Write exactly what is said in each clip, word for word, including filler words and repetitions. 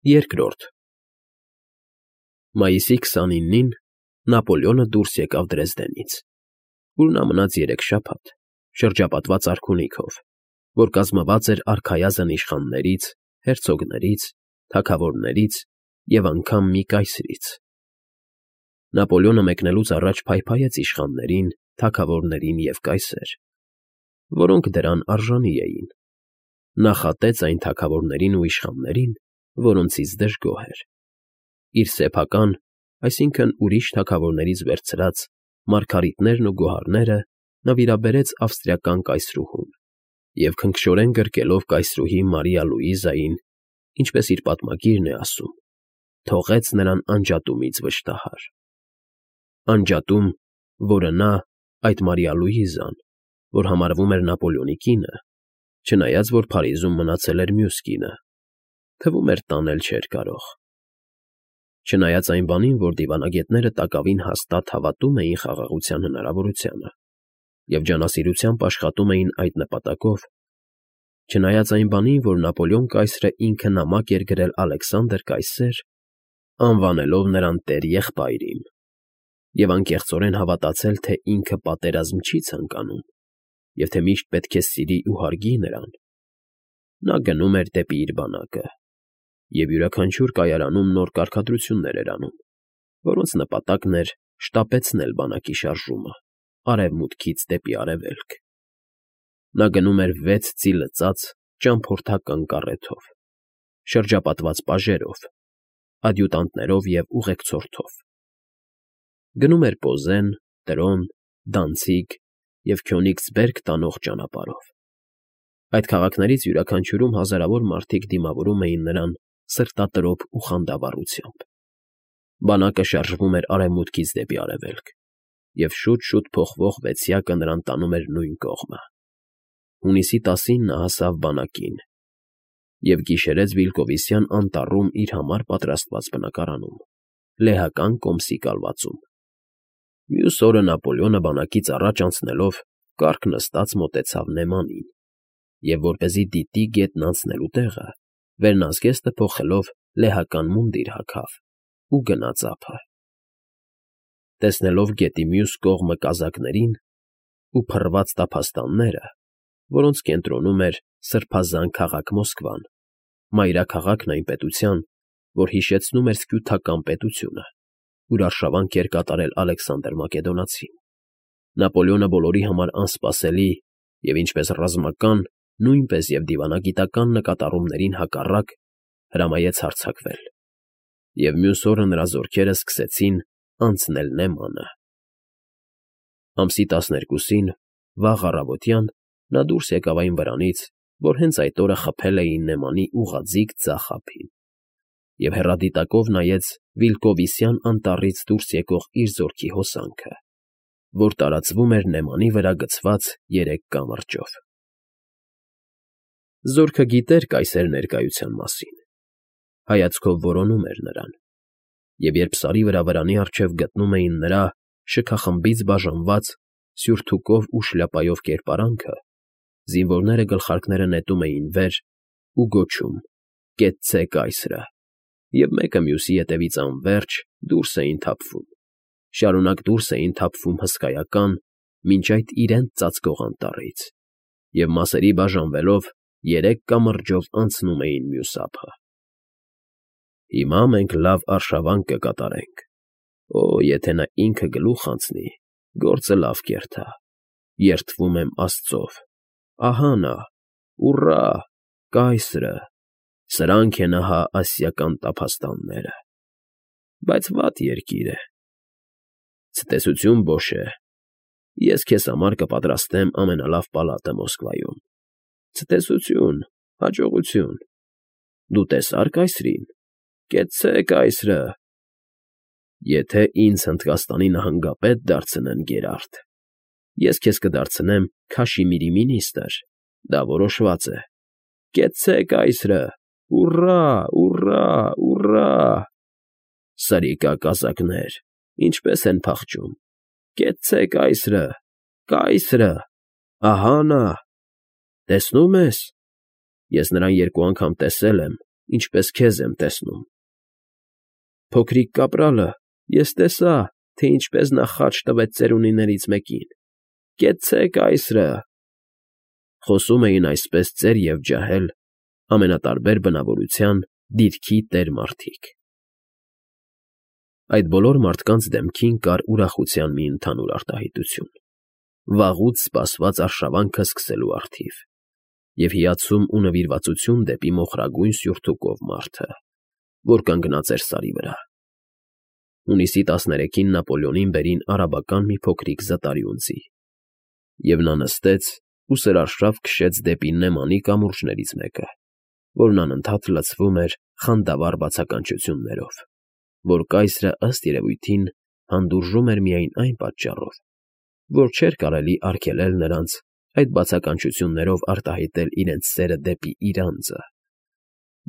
Երկրորդ Մայիսի քսանինին Նապոլեոնը դուրս եկավ Դրեզդենից, ուր նա մնաց երեք շաբաթ, շրջապատված արքունիքով, որ կազմված էր արքայազն իշխաններից, հերցոգներից, թագավորներից և անգամ մի կայսրից։ Նապոլեոնը մեկնելուց առաջ փայփայեց իշխաններին, թագավորներին և կայսեր, որոնք դրան արժանի էին, նախատեց այն թագավորներին ու իշխաններին, որոնցից դժգոհ էր, իր սեփական, այսինքն ուրիշ թագավորներից վերցրած մարգարիտներն ու գոհարները նվիրաբերեց ավստրիական կայսրուհուն և քնքշորեն գրկելով կայսրուհի Մարիա Լուիզային, ինչպես իր պատմագիրն է ասում, թողեց նրան անջատումից վշտահար։ Անջատում, որը նա, այդ Մարիա Լուիզան, որ համարվում էր Նապոլեոնի կինը, չնայած որ Փարիզում մնացել էր մյուս կինը, թվում էր տանել չէր կարող։ Չնայած այն բանին, որ դիվանագետները տակավին հաստատ հավատում էին խաղաղության հնարավորությանը և ջանասիրությամբ աշխատում էին այդ նպատակով, չնայած այն բանին, որ Նապոլեոն կայսրը ինքը նամակ էր գրել Ալեքսանդր կայսեր, անվանելով նրան տեր֊եղբայրին, և անկեղծորեն հավատացել, թե ինքը պատերազմ չի ցանկանում և թե միշտ պետք է սիրի ու հարգի նրան, նա գնում էր դեպի իր բանակը և յուրաքանչյուր կայարանում նոր կարգադրություններ էր անում, որոնց նպատակն էր շտապեցնել բանակի շարժումը արևմուտքից դեպի արևելք։ Նա գնում էր վեց ծի լծած ճամփորդական կառեթով, շրջապատված պաժերով, ադյուտանտներով և ուղեկցորդով։ Գնում էր Պոզեն, Տրոն, Դանցիգ և Քյոնիգսբերգ տանող ճանապարհով։ Այդ քաղաքներից յուրաքանչյուրում հազարավոր մարդիկ դիմավորում էին նրան սրտատրոփ ու խանդավառությամբ։ Բանակը շարժվում էր արևմուտքից դեպի արևելք, և շուտ֊շուտ փոխվող վեցյակը նրան տանում էր նույն կողմը։ Հունիսի տասին նա հասավ բանակին և գիշերեց Վիլկովիսյան անտառում իր համար պատրաստված բնակարանում, լեհական կոմսի կալվածում։ Մյուս օրը Նապոլեոնը բանակից առաջ անցնելով կառք նստած մոտեցավ Նեմանին և, որպեսզի դիտի գետն անցնելու տեղը, վերնազգեստը փոխելով լեհական մունդիր հագավ ու գնաց ափը։ Տեսնելով գետի մյուս կողմը կազակներին ու փռված տափաստանները, որոնց կենտրոնում էր սրբազան քաղաք Մոսկվան, մայրաքաղաքն այն պետության, որ հիշեցնում էր սքյութական պետությունը, ուր արշավանք էր կատարել Ալեքսանդր Մակեդոնացին, Նապոլեոնը բոլորի համար անսպասելի և ինչպես ռազմական, նույնպես և դիվանագիտական նկատառումներին հակառակ հրամայեց հարձակվել, և մյուս օրը նրա զորքերը սկսեցին անցնել Նեմանը։ Ամսի տասներկուսին, վաղ առավոտյան, նա դուրս եկավ այն վրանից, որ հենց այդ օրը խփել էին Նեմանի ուղղաձիգ ձախ ափին, և հեռադիտակով նայեց Վիլկովիսյան անտառից դուրս եկող իր զորքի հոսանքը, որ տարածվում էր Նեմանի վրա գցված երեք կամրջով։ Զորքը գիտեր կայսեր ներկայության մասին, հայացքով որոնում էր նրան, և երբ Սարի վրա վրանի առջև գտնում էին նրա շքախմբից բաժանված սյուրթուկով ու շլյապայով կերպարանքը, զինվորները գլխարկները նետում էին վեր ու գոչում. «Կեցցե կայսրը», և մեկը մյուսի ետևից անվերջ դուրս էին թափվում, շարունակ դուրս էին թափվում հսկայական, մինչ այդ իրենց ծածկող անտառից, և մասերի բաժանվելով երեք կամրջով անցնում էին մյուս ափը։ «Հիմա մենք լավ արշավանք կկատարենք, օ, եթե նա ինքը գլուխ անցնի, գործը լավ կերթա, երդվում եմ աստծով, ահա նա, ուռա, կայսրը, սրանք են ահա ասիական տափաստանները, բայց վատ երկիր է։ Ցտեսություն, Բոշե, ես քեզ համար կպատրաստեմ ամենալավ պալատը Մոսկվայում։ Ցտեսություն, հաջողություն։ Դու տեսա՞ր կայսրին, կեցցե կայսրը։ Եթե ինձ Հնդկաստանի նահանգապետ դարձնեն, Գերարդ, ես քեզ կդարձնեմ Քաշիմիրի մինիստրը, դա որոշված է։ Կեցցե կայսրը, ուռա, ուռա, ուռա… Սրիկա կազակներ, ինչպես են փախչում։ Կեցցե կայսրը, կայսրը, ահա նա… Տեսնո՞ւմ ես, ես նրան երկու անգամ տեսել եմ ինչպես քեզ եմ տեսնում։ Փոքրիկ կապրալը, ես տեսա, թե ինչպես նա խաչ տվեց ծերունիներից մեկին. «Կեցցե՛ք այրը»։ Խոսում էին այսպես ծեր և ջահել, ամենատարբեր բնավորության, դիրքի տեր մարդիկ։ Այդ բոլոր մարդկանց դեմքին կար ուրախության մի ընդհանուր արտահայտություն, վաղուց սպասված արշավանքը սկսելու առթիվ, և հիացում ու նվիրվածություն դեպի մոխրագույն սյուրթուկով մարդը, որ կանգնած էր սարի վրա։ Հունիսի տասներեքին Նապոլեոնին բերին արաբական մի փոքրիկ զտարի ունձի, և նա նստեց ու սրարշավ քշեց դեպի Նեմանի կամուրջներից մեկը, որն անընդհատ լցվում էր խանդավառ բացականչություններով, որ կայսրը, ըստ երևույթին, հանդուրժում էր միայն այն պատճառով, որ չէր կարելի արգելել նրանց այդ բացականչություններով արտահայտել իրենց սերը դեպի իր անձը,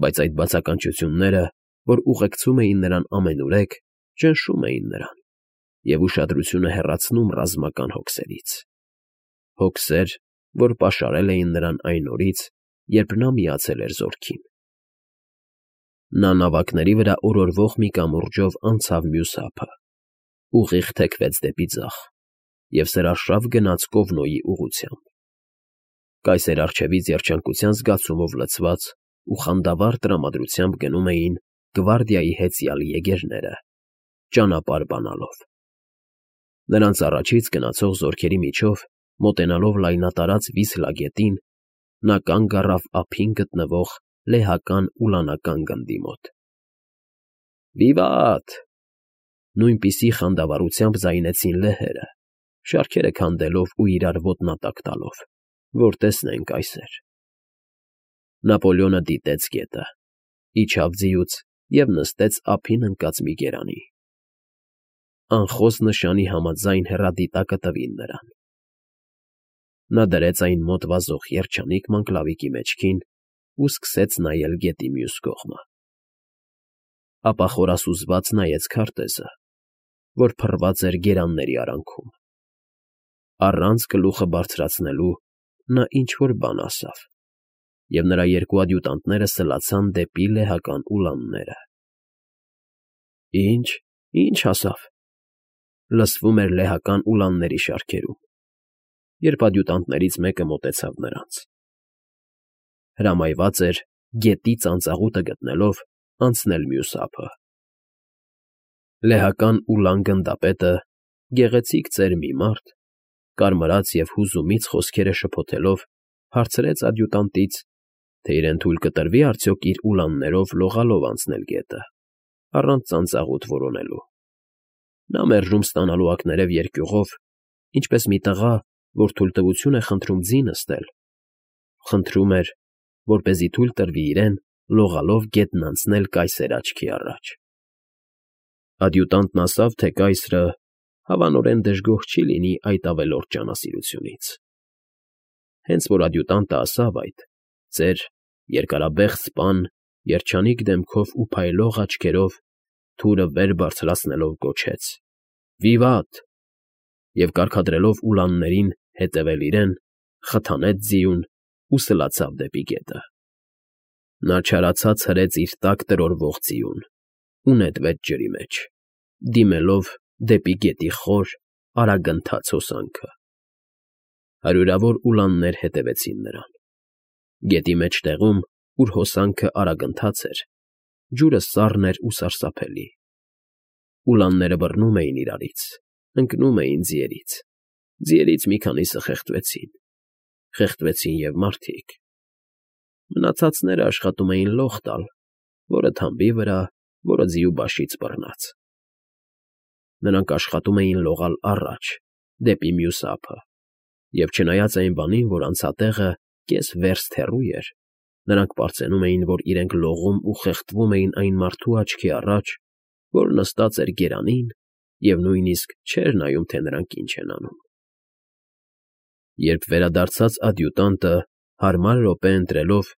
բայց այդ բացականչությունները, որ ուղեկցում էին նրան ամենուրեք, ճնշում էին նրան և ուշադրությունը հեռացնում ռազմական հոգսերից, հոգսեր, որ պաշարել էին նրան այն օրից, երբ նա միացել էր զորքին։ Նա նավակների վրա օրորվող մի կամուրջով անցավ մյուս ափը, ուղիղ թեքվեց դեպի ձախ և սրարշավ գնաց Կովնոյի ուղղությամբ։ Կայսեր առջևից երջանկության զգացումով լցված ու խանդավառ տրամադրությամբ գնում էին գվարդիայի հեծյալ եգերները, ճանապարհ բանալով։ Նրանց առաջից գնացող զորքերի միջով, մոտենալով լայնատարած Վիսլա գետին, նա կանգ առավ ափին գտնվող լեհական ուլանական գնդի մոտ։ «Վիվատ»։ Նույնպիսի խանդավառությամբ ձայնեցին լեհերը, շարքերը քանդելով ու իրար ոտնատակ տալով, որ տեսնեն կայսեր։ Նապոլեոնը դիտեց գետը, իջավ ձիուց և նստեց ափին ընկած մի գերանի։ Անխոս նշանի համաձայն հեռադիտակը տվին նրան։ Նա դրեց այն մոտ վազող երջանիկ մանգլավիկի մեջքին ու սկսեց նայել գետի մյուս կողմը։ Ապա խորասուզված նայեց քարտեզը, որ փռված էր գերանների արանքում։ Առանց գլուխը բարձրացնելու նա ինչ֊որ բան ասավ, և նրա երկու ադյուտանտները սլացան դեպի լեհական ուլանները։ «Ի՞նչ, ի՞նչ ասավ», լսվում էր լեհական ուլանների շարքերում, երբ ադյուտանտներից մեկը մոտեցավ նրանց։ Հրամայված էր, գետի ծանծաղուտը գտնելով, անցնել մյուս ափը։ Լեհական ուլան գնդապետը, գեղեցիկ ծեր մի մարդ, կարմրած և հուզումից խոսքերը շփոթելով, հարցրեց ադյուտանտից, թե իրեն թույլ կտրվի արդյոք իր ուլաններով լողալով անցնել գետը, առանց ծանծաղուտ որոնելու։ Նա մերժում ստանալու ակներև երկյուղով, ինչպես մի տղա, որ թույլտվություն է խնդրում ձի նստել, խնդրում էր, որպեսզի թույլ տրվի իրեն լողալով գետն անցնել կայսեր աչքի առաջ։ Ադյուտանտն ասավ, թե կայսրը հավանորեն դժգոհ չի լինի այդ ավելորդ ջանասիրությունից։ Հենց որ ադյուտանտը ասավ այդ, ծեր, երկարաբեղ սպան, երջանիկ դեմքով ու փայլող աչքերով, թուրը վեր բարձրացնելով գոչեց. «Վիվատ», և կարգադրելով ուլաններին հետևել իրեն, խթանեց ձիուն ու սլացավ դեպի գետը։ Նա չարացած հրեց իր տակ տրորվող ձիուն ու նետվեց ջրի մեջ, դիմելով դեպի գետի խոր, արագընթաց հոսանքը։ Հարյուրավոր ուլաններ հետևեցին նրան։ Գետի մեջտեղում, ուր հոսանքը արագընթաց էր, ջուրը սառն էր ու սարսափելի։ Ուլանները բռնում էին իրարից, ընկնում էին ձիերից, ձիերից մի քանիսը խեղդվեցին, խեղդվեցին և մարդիկ։ Մնացածները աշխատում էին լող տալ, որը թամբի վրա, որը ձիու բաշից բռնած։ Նրանք աշխատում էին լողալ առաջ, դեպի մյուս ափը, և չնայած այն բանին, որ անցատեղը կես վերստ հեռու էր, նրանք պարծենում էին, որ իրենք լողում ու խեղդվում էին այն մարդու աչքի առաջ, որ նստած էր գերանին և նույնիսկ չէր նայում, թե նրանք ինչ են անում։ Երբ վերադարձած ադյուտանտը, հարմար րոպե ընտրելով,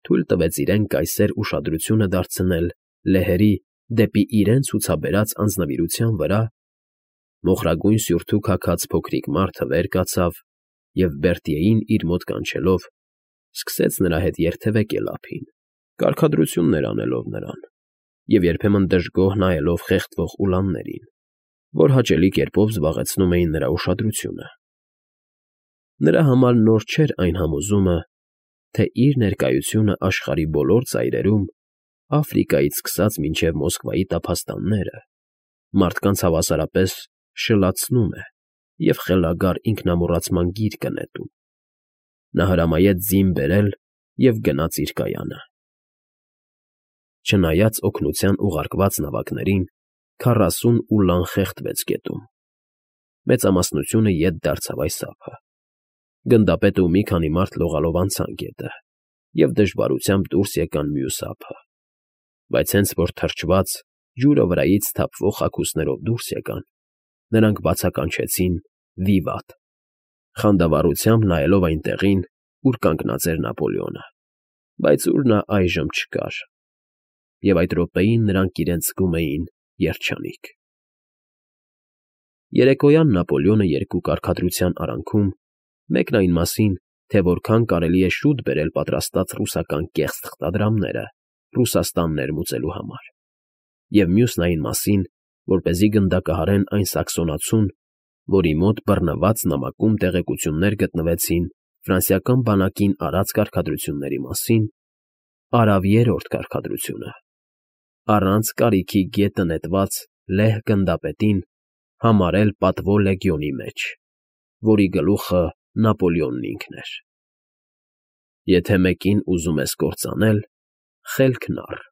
թույլ տվեց իրեն կայսեր ուշադրությունը դարձնել լեհերի դեպի իրեն ցուցաբերած անձնվիրության վրա, մոխրագույն սյուրթուք հագած փոքրիկ մարդը վեր կացավ և Բերտիեին իր մոտ կանչելով, սկսեց նրա հետ երթևեկել ափին, Կարգադրություններ անելով նրան և երբեմն դժգոհ նայելով խեղդվող ուլաններին, որ հաճելի կերպով զբաղեցնում էին նրա ուշադրությունը։ Նրա համար նոր չէր այն համոզումը, թե իր ներկայությունը աշխարհի բոլոր ծայրերում, Աֆրիկայից սկսած մինչև Մոսկվայի տափաստանները, մարդկանց հավասարապես շլացնում է և խելագար ինքնամոռացման գիրկը նետում։ Նա հրամայեց ձին բերել և գնաց իր կայանը։ Չնայած օգնության ուղարկված նավակներին, քառասուն ուլան խեղդվեց գետում։ Մեծամասնությունը ետ դարձավ այս ափը։ Գնդապետը ու մի քանի մարդ լողալով անցան գետը և դժվարությամբ դուրս եկան մյուս ափը, բայց հենց որ թրջված, ջուրը վրայից թափվող խաքուսներով դուրս եկան, նրանք բացականչեցին «Վիվատ», խանդավառությամբ նայելով այն տեղին, ուր կանգնած էր Նապոլեոնը, բայց ուր նա այժմ չկար, և այդ րոպեին նրանք իրենց զգում էին երջանիկ։ Երեկոյան Նապոլեոնը երկու կարգադրության արանքում, մեկն այն մասին, թե որքան կարելի է շուտ բերել պատրաստած ռուսական կեղծ թղթադրամները Ռուսաստան ներմուծելու համար, և մյուսն այն մասին, որպեսզի գնդակահարեն այն սաքսոնացուն, որի մոտ բռնված նամակում տեղեկություններ գտնվեցին ֆրանսիական բանակին արած կարգադրությունների մասին, արավ երրորդ կարգադրությունը, առանց կարիքի գետը նետված լեհ գնդապետին համարել պատվո լեգիոնի մեջ, որի գլուխը Նապոլեոնն ինքն էր։ Եթե մեկին ուզում ես կործանել, խելքն առ։